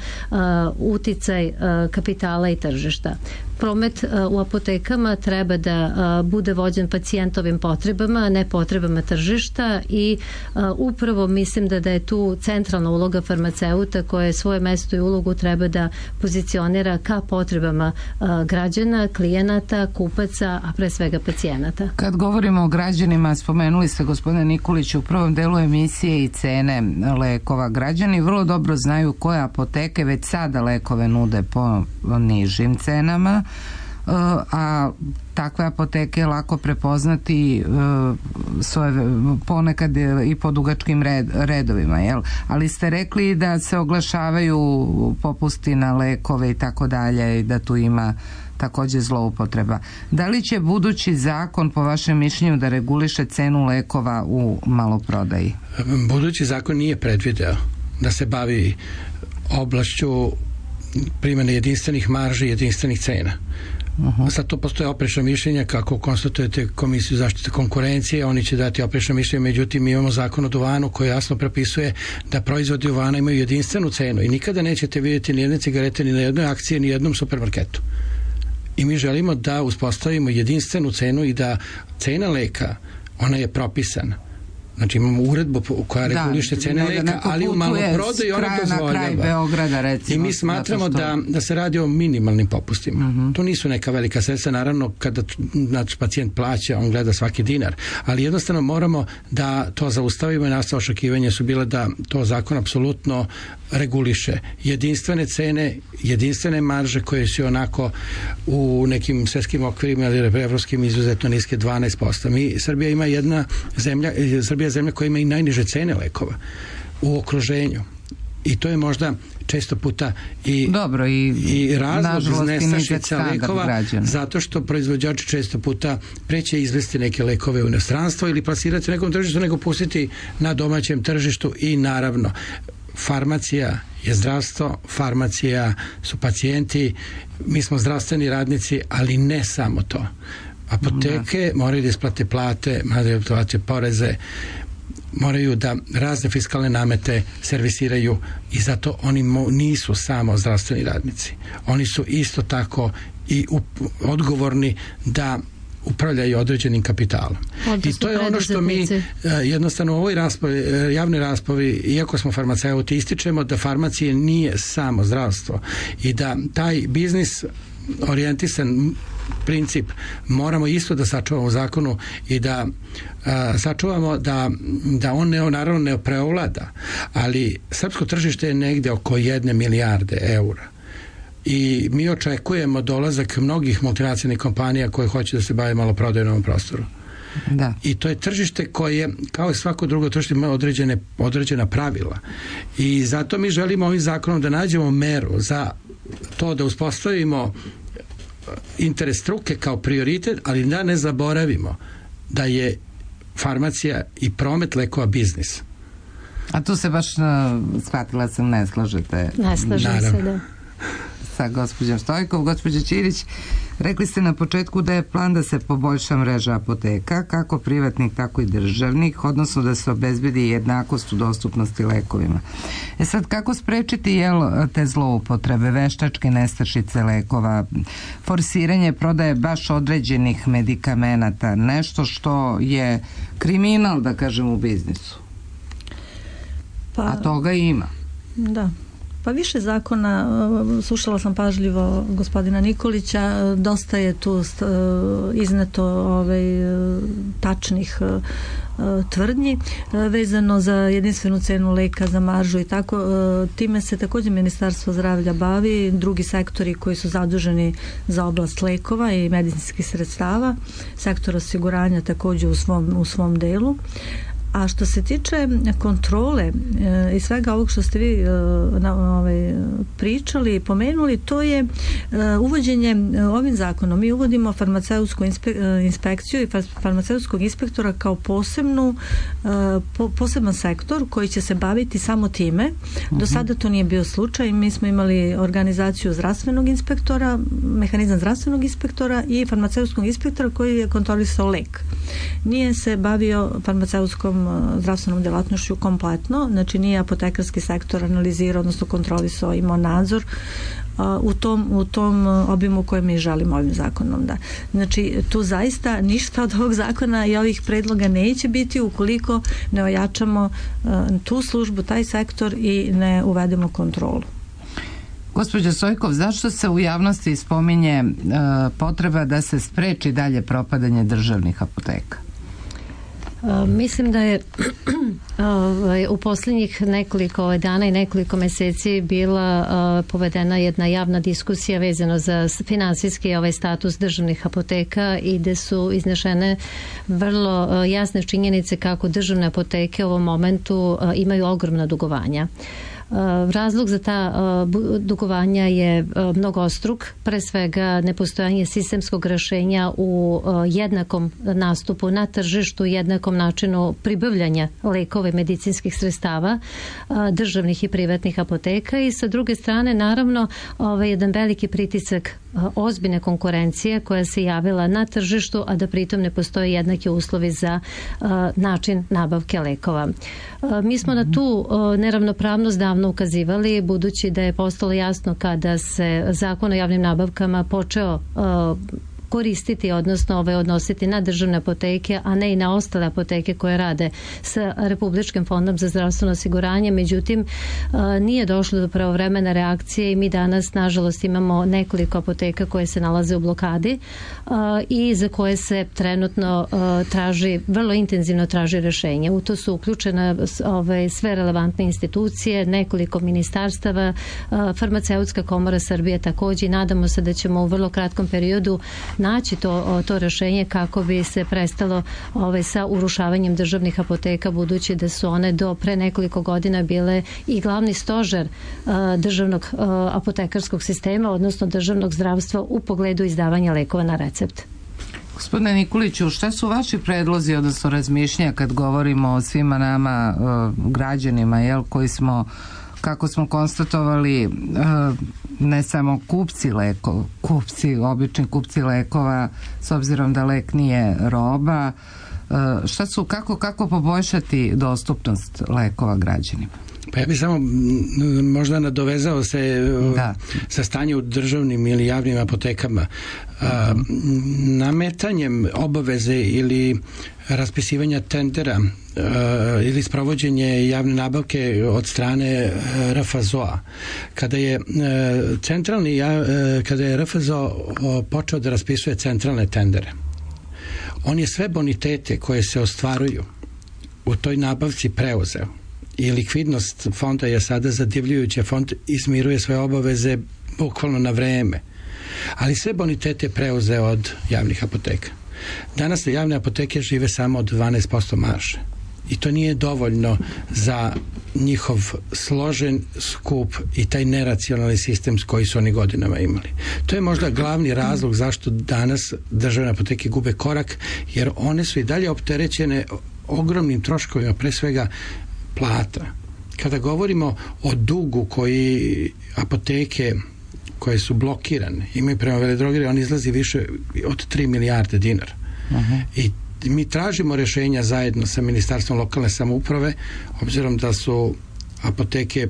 uticaj kapitala i tržišta. Promet u apotekama treba da bude vođen pacijentovim potrebama, a ne potrebama tržišta, i upravo mislim da je tu centralna uloga farmaceuta, koje svoje mesto i ulogu treba da pozicionira ka potrebama građana, klijenata, kupaca, a pre svega pacijenata. Kad govorimo o građanima, spomenuli ste, gospodine Nikoliću, u prvom delu emisije i cene lekova. Građani vrlo dobro znaju koje apoteke već sada lekove nude po nižim cenama, a takve apoteke je lako prepoznati ponekad i po dugačkim redovima, jel? Ali ste rekli da se oglašavaju popusti na lekove i tako dalje, i da tu ima također zloupotreba. Da li će budući zakon, po vašem mišljenju, da reguliše cenu lekova u maloprodaji? Budući zakon nije predvideo da se bavi oblašću primjene jedinstvenih marži i jedinstvenih cena. Sad to postoje oprečna mišljenja, kako konstatujete Komisiju zaštite konkurencije, oni će dati oprečna mišljenja, međutim mi imamo zakon o duvanu koji jasno propisuje da proizvodi duvana imaju jedinstvenu cenu i nikada nećete vidjeti ni jedne cigarete ni na jednoj akciji, ni jednom supermarketu. I mi želimo da uspostavimo jedinstvenu cenu i da cena leka, ona je propisana. Znači imamo uredbu koja reguliše cene leka, ali u maloprodaju ona dozvoljava. I mi smatramo da se radi o minimalnim popustima. To nisu neka velika sredstva, naravno kada pacijent plaća, on gleda svaki dinar, ali jednostavno moramo da to zaustavimo i naša očekivanja su bile da to zakon apsolutno reguliše jedinstvene cene, jedinstvene marže koje su onako u nekim svetskim okvirima ili evropskim izuzetno niske 12%. Srbija ima Srbija je zemlja koja ima i najniže cene lekova u okruženju. I to je možda često puta i razlog iz nestašica lekova, zato što proizvođači često puta preće izvesti neke lekove u inostranstvo ili plasirati nekom tržištu, nego pustiti na domaćem tržištu. I naravno farmacija je zdravstvo, farmacija su pacijenti, mi smo zdravstveni radnici, ali ne samo to. Apoteke moraju da isplate plate, moraju da isplate poreze. moraju da razne fiskalne namete servisiraju i zato oni nisu samo zdravstveni radnici. Oni su isto tako i odgovorni da upravljaju određenim kapitalom. I to je ono što mi jednostavno u ovoj javnoj raspravi, iako smo farmaceuti, ističemo da farmacija nije samo zdravstvo i da taj biznis orijentisan princip moramo isto da sačuvamo u zakonu i da sačuvamo da on naravno ne preovlada, ali srpsko tržište je negde oko 1 milijarde eura. I mi očekujemo dolazak mnogih multinacionalnih kompanija koje hoće da se bave maloprodajom na ovom prostoru. Da. I to je tržište koje, kao i svako drugo tržište, ima određena pravila. I zato mi želimo ovim zakonom da nađemo meru za to da uspostavimo interes struke kao prioritet, ali da ne zaboravimo da je farmacija i promet lekova biznis. A tu se baš, shvatila sam, ne slažete. Ne slažem se, da. Sa gospođom Stojkov. Gospođa Ćirić, rekli ste na početku da je plan da se poboljša mreža apoteka, kako privatnih, tako i državnih, odnosno da se obezbedi jednakost u dostupnosti lekovima. Sad, kako sprečiti te zloupotrebe, veštačke nestašice lekova, forsiranje prodaje baš određenih medikamenata, nešto što je kriminal, da kažem, u biznisu? A toga ima. Da. Pa više zakona, slušala sam pažljivo gospodina Nikolića, dosta je tu izneto tačnih tvrdnji vezano za jedinstvenu cenu leka, za maržu i tako. Time se također Ministarstvo zdravlja bavi, drugi sektori koji su zaduženi za oblast lekova i medicinskih sredstava, sektor osiguranja također u svom delu. A što se tiče kontrole i svega ovog što ste vi pričali i pomenuli, to je uvođenje ovim zakonom. Mi uvodimo farmaceutsku inspekciju i farmaceutskog inspektora kao poseban sektor koji će se baviti samo time. Do sada to nije bio slučaj. Mi smo imali organizaciju zdravstvenog inspektora, mehanizam zdravstvenog inspektora i farmaceutskog inspektora koji je kontrolisao lek. Nije se bavio farmaceutskom zdravstvenom djelatnošću kompletno, znači nije apotekarski sektor analizirao, odnosno kontrolisao, imao nadzor u tom obimu koje mi želimo ovim zakonom. Da. Znači, tu zaista ništa od ovog zakona i ovih predloga neće biti ukoliko ne ojačamo tu službu, taj sektor i ne uvedemo kontrolu. Gospođo Stojkov, zašto se u javnosti spominje potreba da se spreči dalje propadanje državnih apoteka? Mislim da je u posljednjih nekoliko dana i nekoliko mjeseci bila povedena jedna javna diskusija vezano za finansijski status državnih apoteka i gdje su iznešene vrlo jasne činjenice kako državne apoteke u ovom momentu imaju ogromna dugovanja. Razlog za ta dugovanja je mnogostruk, pre svega nepostojanje sistemskog rješenja u jednakom nastupu na tržištu, jednakom načinu pribavljanja lekova i medicinskih sredstava državnih i privatnih apoteka i sa druge strane naravno jedan veliki pritisak ozbiljne konkurencije koja se javila na tržištu, a da pritom ne postoje jednaki uslovi za način nabavke lekova. Mi smo na tu neravnopravnost davno ukazivali, budući da je postalo jasno kada se Zakon o javnim nabavkama počeo koristiti, odnosno odnositi na državne apoteke, a ne i na ostale apoteke koje rade sa Republičkim fondom za zdravstveno osiguranje. Međutim, nije došlo do pravovremene reakcije i mi danas, nažalost, imamo nekoliko apoteka koje se nalaze u blokadi i za koje se trenutno vrlo intenzivno traži rješenje. U to su uključene sve relevantne institucije, nekoliko ministarstava, Farmaceutska komora Srbije također i nadamo se da ćemo u vrlo kratkom periodu naći to rješenje kako bi se prestalo sa urušavanjem državnih apoteka, budući da su one do pre nekoliko godina bile i glavni stožer državnog apotekarskog sistema, odnosno državnog zdravstva u pogledu izdavanja lekova na recept. Gospodine Nikoliću, šta su vaši predlozi, odnosno razmišljanja kad govorimo o svima nama građanima, koji smo, kako smo konstatovali, ne samo obični kupci lekova, s obzirom da lek nije roba, Kako poboljšati dostupnost lekova građanima? Pa ja bih samo možda nadovezao se sa stanje u državnim ili javnim apotekama. Nametanjem obaveze ili raspisivanja tendera ili sprovođenje javne nabavke od strane RFZO-a. Kada je RFZO počeo da raspisuje centralne tendere, on je sve bonitete koje se ostvaruju u toj nabavci preuzeo. I likvidnost fonda je sada zadivljujuća. Fond izmiruje svoje obaveze bukvalno na vreme. Ali sve bonitete preuzeo od javnih apoteka. Danas javne apoteke žive samo od 12% marže. I to nije dovoljno za njihov složen skup i taj neracionalni sistem koji su oni godinama imali. To je možda glavni razlog zašto danas državne apoteke gube korak, jer one su i dalje opterećene ogromnim troškovima, pre svega plata. Kada govorimo o dugu koji apoteke koje su blokirane imaju prema veledrogeriji, on izlazi više od 3 milijarde dinara. I mi tražimo rješenja zajedno sa Ministarstvom lokalne samouprave, obzirom da su apoteke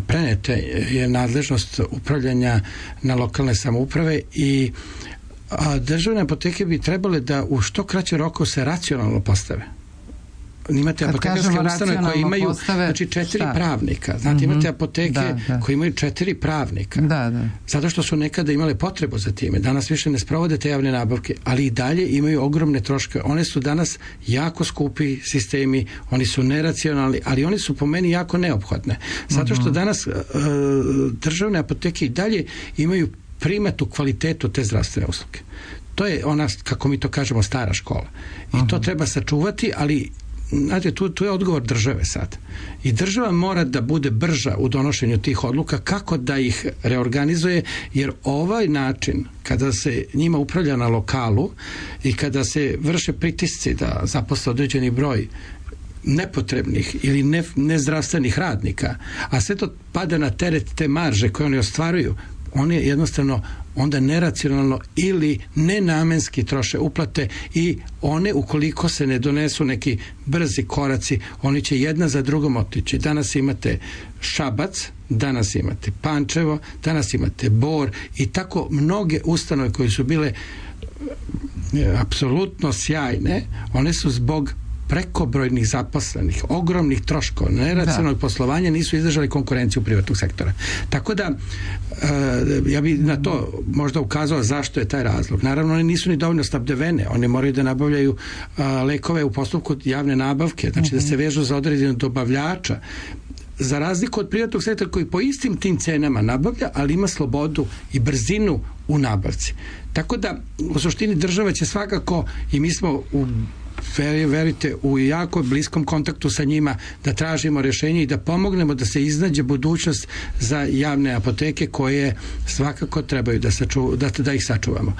prenete je nadležnost upravljanja na lokalne samouprave i državne apoteke bi trebale da u što kraće roku se racionalno postave. Imate apotekarske ustanove koje imaju 4 pravnika. Znate, imate apoteke koje imaju 4 pravnika. Zato što su nekada imale potrebu za time. Danas više ne sprovode te javne nabavke, ali i dalje imaju ogromne troškove. One su danas jako skupi sistemi, oni su neracionalni, ali oni su po meni jako neophodne. Zato što danas državne apoteke i dalje imaju primatu kvalitetu te zdravstvene usluge. To je ona, kako mi to kažemo, stara škola. I to treba sačuvati, ali znate, tu je odgovor države sad. I država mora da bude brža u donošenju tih odluka, kako da ih reorganizuje, jer ovaj način, kada se njima upravlja na lokalu i kada se vrše pritisci da zaposle određeni broj nepotrebnih ili nezdravstvenih radnika, a sve to pada na teret te marže koje oni ostvaruju, oni jednostavno onda neracionalno ili nenamenski troše uplate i one, ukoliko se ne donesu neki brzi koraci, oni će jedna za drugom otići. Danas imate Šabac, danas imate Pančevo, danas imate Bor i tako mnoge ustanove koje su bile apsolutno sjajne, one su zbog prekobrojnih zaposlenih, ogromnih troškova, neracionalnog poslovanja nisu izdržali konkurenciju privatnog sektora. Tako da ja bih na to možda ukazao zašto je taj razlog. Naravno, one nisu ni dovoljno snabdevene, one moraju da nabavljaju lekove u postupku javne nabavke, znači da se vežu za određenog dobavljača, za razliku od privatnog sektora koji po istim tim cenama nabavlja, ali ima slobodu i brzinu u nabavci. Tako da, u suštini država će svakako, i mi smo verite, u jako bliskom kontaktu sa njima, da tražimo rješenje i da pomognemo da se iznađe budućnost za javne apoteke koje svakako trebaju da ih sačuvamo.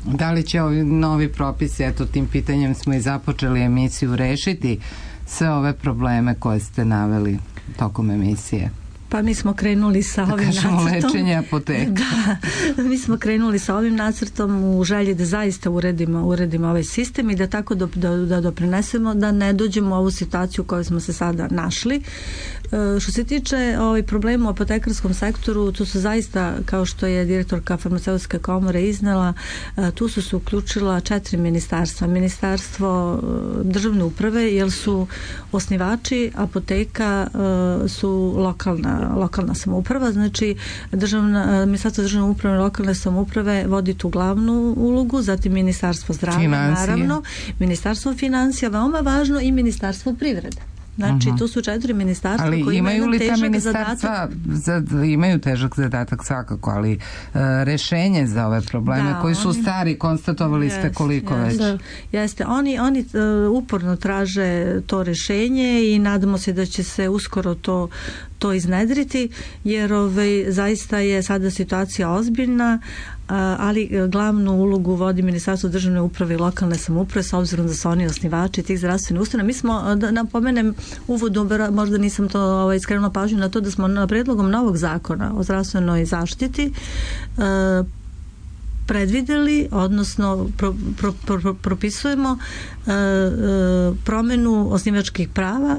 Da li će ovi novi propisi, eto tim pitanjem smo i započeli emisiju, rešiti sve ove probleme koje ste naveli tokom emisije? Pa mi smo krenuli sa ovim nacrtom. Lečenje apoteka. Mi smo krenuli sa ovim nacrtom u želji da zaista uredimo ovaj sistem i da tako da doprinesemo da ne dođemo u ovu situaciju u kojoj smo se sada našli. Što se tiče problema u apotekarskom sektoru, tu su zaista, kao što je direktorka farmaceutske komore iznela, tu su se uključila 4 ministarstva. Ministarstvo državne uprave, jer su osnivači apoteka su lokalna samouprava, znači Ministarstvo državne uprave i lokalne samouprave vodi tu glavnu ulogu, zatim Ministarstvo zdravlja, naravno, Ministarstvo financija, veoma važno, i Ministarstvo privrede. Znači, tu su 4 ministarstva koji imaju težak zadatak. Imaju težak zadatak svakako, ali rešenje za ove probleme koji su stari, konstatovali ste koliko već. Jeste, oni uporno traže to rešenje i nadamo se da će se uskoro to iznedriti, jer zaista je sada situacija ozbiljna, ali glavnu ulogu vodi Ministarstvo državne uprave i lokalne samouprave, s obzirom da su oni osnivači tih zdravstvenih ustanova. Mi smo, da napomenem uvodu, možda nisam to skrenula pažnju na to, da smo na predlogom novog zakona o zdravstvenoj zaštiti predvideli, odnosno propisujemo promenu osnivačkih prava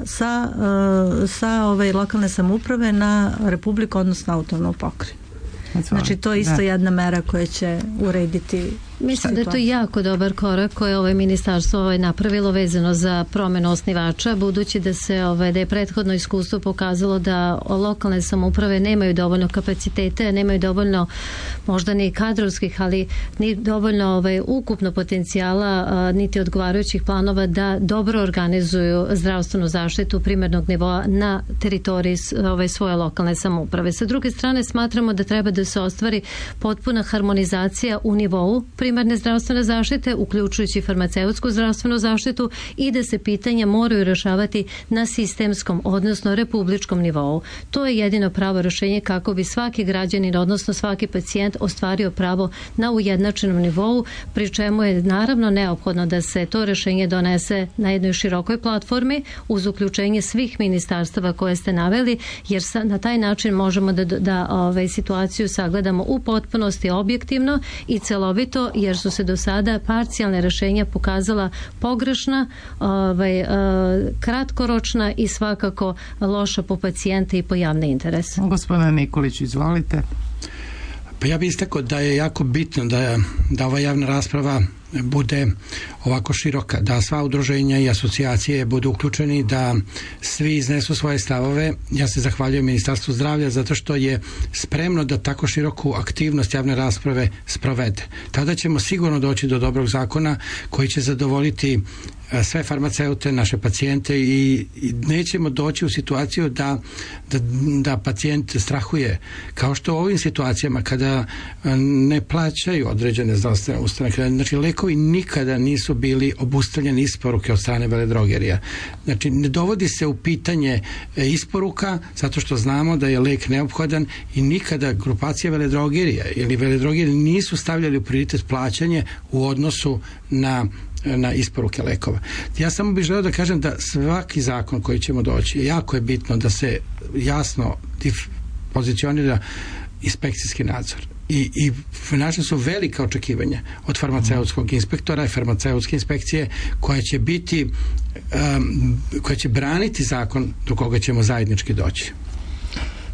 sa lokalne samouprave na Republiku, odnosno autonomnu pokrajinu. Znači to je isto jedna mera koja će urediti. Mislim da je to jako dobar korak koje ovo ministarstvo napravilo vezano za promenu osnivača, budući da je prethodno iskustvo pokazalo da lokalne samouprave nemaju dovoljno kapacitete, nemaju dovoljno možda ni kadrovskih, ali ni dovoljno ukupno potencijala, niti odgovarajućih planova da dobro organizuju zdravstvenu zaštitu primarnog nivoa na teritoriji svoje lokalne samouprave. Sa druge strane, smatramo da treba da se ostvari potpuna harmonizacija u nivou primarne zdravstvene zaštite, uključujući farmaceutsku zdravstvenu zaštitu, i da se pitanja moraju rešavati na sistemskom, odnosno republičkom nivou. To je jedino pravo rešenje kako bi svaki građanin, odnosno svaki pacijent ostvario pravo na ujednačenom nivou, pri čemu je naravno neophodno da se to rešenje donese na jednoj širokoj platformi uz uključenje svih ministarstava koje ste naveli, jer na taj način možemo da situaciju sagledamo u potpunosti objektivno i celovito, jer su se do sada parcijalne rešenja pokazala pogrešna, kratkoročna i svakako loša po pacijente i po javni interes. Gospodine Nikolić, izvolite. Pa ja bih istakao da je jako bitno da ova javna rasprava bude ovako široka, da sva udruženja i asocijacije budu uključeni, da svi iznesu svoje stavove. Ja se zahvaljujem Ministarstvu zdravlja zato što je spremno da tako široku aktivnost javne rasprave sprovede. Tada ćemo sigurno doći do dobrog zakona koji će zadovoljiti sve farmaceute, naše pacijente i nećemo doći u situaciju da pacijent strahuje. Kao što u ovim situacijama kada ne plaćaju određene zdravstvene ustanove, znači lekovi nikada nisu bili obustavljeni isporuke od strane veledrogerija. Znači ne dovodi se u pitanje isporuka zato što znamo da je lek neophodan i nikada grupacija veledrogerija ili veledrogerija nisu stavljali u prioritet plaćanje u odnosu na isporuke lekova. Ja samo bih želeo da kažem da svaki zakon koji ćemo doći, jako je bitno da se jasno pozicionira inspekcijski nadzor. I naša su velika očekivanja od farmaceutskog inspektora i farmaceutske inspekcije koja će braniti zakon do koga ćemo zajednički doći.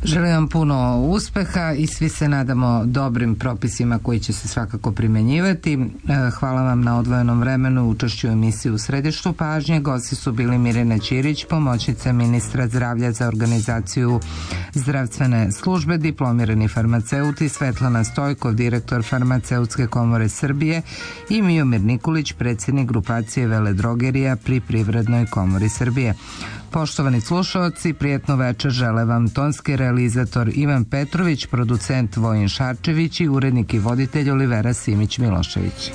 Želim vam puno uspeha i svi se nadamo dobrim propisima koji će se svakako primenjivati. Hvala vam na odvojenom vremenu u učešću u emisiji U središtu pažnje. Gosti su bili Mirjana Ćirić, pomoćnica ministra zdravlja za organizaciju zdravstvene službe, diplomirani farmaceut, i Svetlana Stojkov, direktor Farmaceutske komore Srbije, i Miomir Nikolić, predsjednik grupacije veledrogerija pri Privrednoj komori Srbije. Poštovani slušaoci, prijetno večer žele vam tonski realizator Ivan Petrović, producent Vojin Šarčević i urednik i voditelj Olivera Simić Milošević.